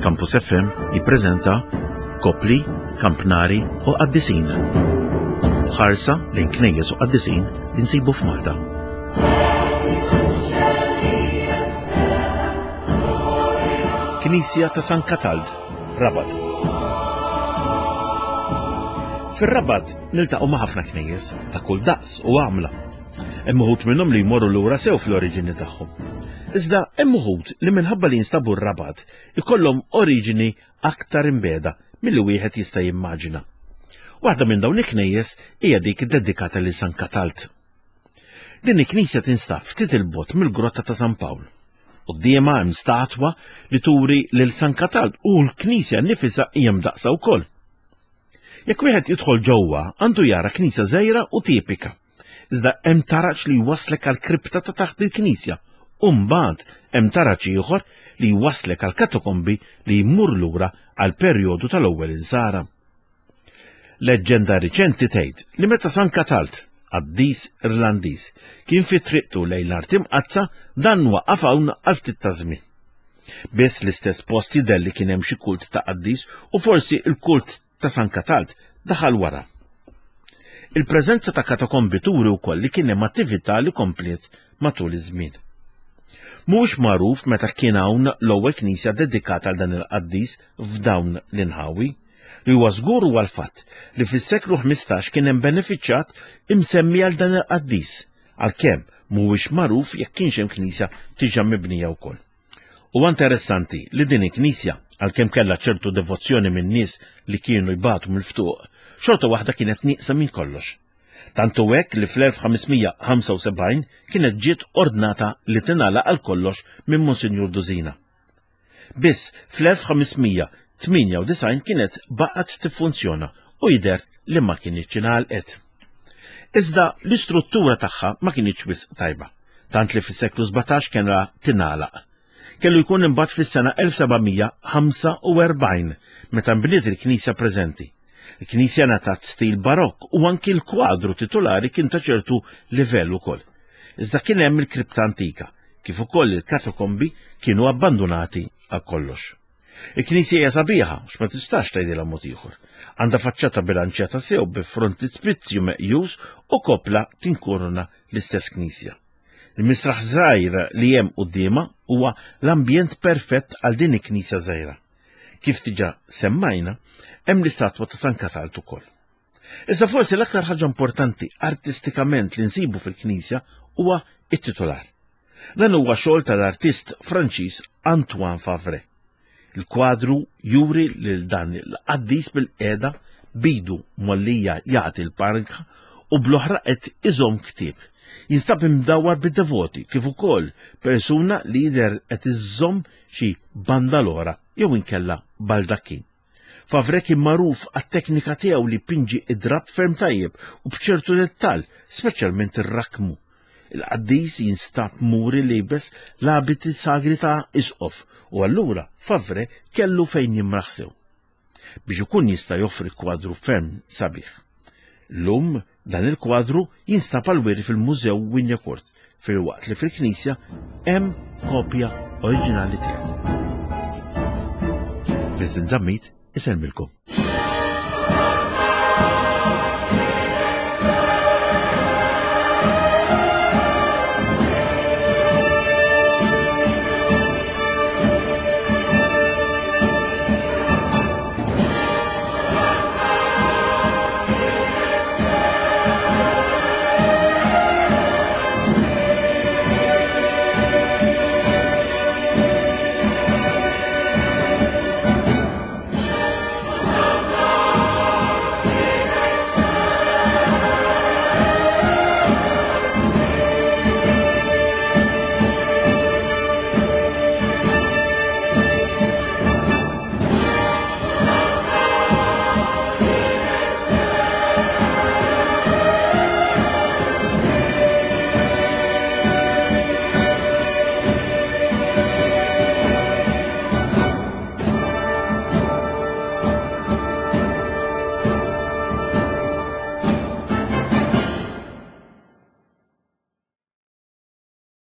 Campus FM jippreżenta Kopli, Kampnari u Qaddisin. Ħarsa lejn knejjes u qaddisin li nsibu f'Malta. Knisja ta' San Katald, Rabat. Fir-Rabat niltaqgħu ma' ħafna knejjes ta' kull daqs u għamla. Hemm uħud minnhom li jmorru lura sew fl-oriġini tagħhom. Iżda hemm uħud li minħabba li jinstabu r-Rabat ikollhom oriġini aktar imbeda milli wieħed jista' jimmaġina. Waħda minn dawn il-knejjes hija dik iddedikata lil San Katalt. Din il-knisja tinstab ftit il-bogħod mill-Grotta ta' San Pawl. Quddiemha hemm statwa li turi lil San Katalt u l-knisja nnifisha hija mdaqqsa wkoll. Jekk wieħed jidħol ġewwa, għandu jara knisja żgħira u tipika. Iżda hemm taraġ li jwasslek għal kripta ta' taħt il-knisja u mbagħad hemm taraġ ieħor li jwasslek għal katakombi li jmur lura għal perjodu tal-ewwel insara. Leġġenda riċenti tgħid li meta San Katalt, qaddis Irlandiż, kien fi triqtu lejn l-Art Imqaddsa, dan waqaf hawn għal ftit ta' żmien. Biss l-istess post jidher li kien hemm xi kult ta' qaddis u forsi l-kult ta' San Katald daħal wara. Il-preżenza ta' katakombi turi wkoll li kien hemm attività li kompliet matul iż-żmien. Mhux magħruf meta kien hawn l-ewwel knisja dedikata għal dan il-qaddis f'dawn l-inħawi. Li huwa żgur huwa l-fatt li fis-seklu 15 kien hemm benefiċjat imsemmi għal dan il-qaddis għalkemm mhuwiex magħruf jekk kienx hemm knisja diġà mibnija wkoll. Huwa interessanti li din il-knisja, għalkemm kellha ċertu devozzjoni minn nies li kienu jbatu mill-ftuq, xorta waħda kienet nieqsa minn kollox. Tant hu hekk li fl-1575 kienet ġiet ordnata li tingħalaq għal kollox minn Monsinjur Duzina. Biss fl-1598 kienet baqgħet tiffunzjona u jidher li ma kinitx ingħalqet. Iżda l-istruttura tagħha ma kinitx wisq tajba, tant li fis-seklu 17 kellha tingħalaq. Kellu jkun imbagħad fis-sena 1745 meta nbniet il-knisja preżenti. Il-knisja ngħatat stil barokk u anki l-kwadru titulari kien ta' ċertu livell ukoll. Iżda kien hemm il-kripta antika, kif ukoll il-katakombi kienu abbandunati għal kollox. Il-knisja hija sabiħa, x'ma tistax tgħidilha mod ieħor. Għandha faċċata bilanċjata sew bi frontispizzju meqjus u kopla tinkuruna l-istess knisja. Il-misraħ żgħir li hemm quddiemha huwa l-ambjent perfett għal din il-knisja żgħira. Kif diġà semmajna, hemm l-istatwa ta' San Katalt ukoll. Iżda forsi l-aktar ħaġa importanti artistikament li nsibu fil-knisja huwa it-titular. Dan huwa xogħol tal-artist Franċiż Antoine Favre. Il-kwadru juri lil dan il-qaddis bil-qiegħda bidu mollija jagħti l-parka u bl-oħra qed iżomm ktieb. Jinstab imdawwar bid-devoti kif ukoll persuna li jidher qed iżomm xi bandalora jew inkella baldakkin. Favre kien magħruf għat-teknika tiegħu li jpinġi id-drapp ferm tajjeb u b'ċertu dettall, speċjalment ir-rakmu. Il-qaddis jinstab muri liebes l-abiti sagri ta' isqof u allura Favre kellu fejn jimraħ sew biex ikun jista' joffri kwadru ferm sabiħ. Llum dan il-kwadru jinstab għal-wiri fil-Mużew Wignacourt filwaqt li fil-knisja hemm kopja oriġinali tiegħu. Vincent Zammit isellmilkom.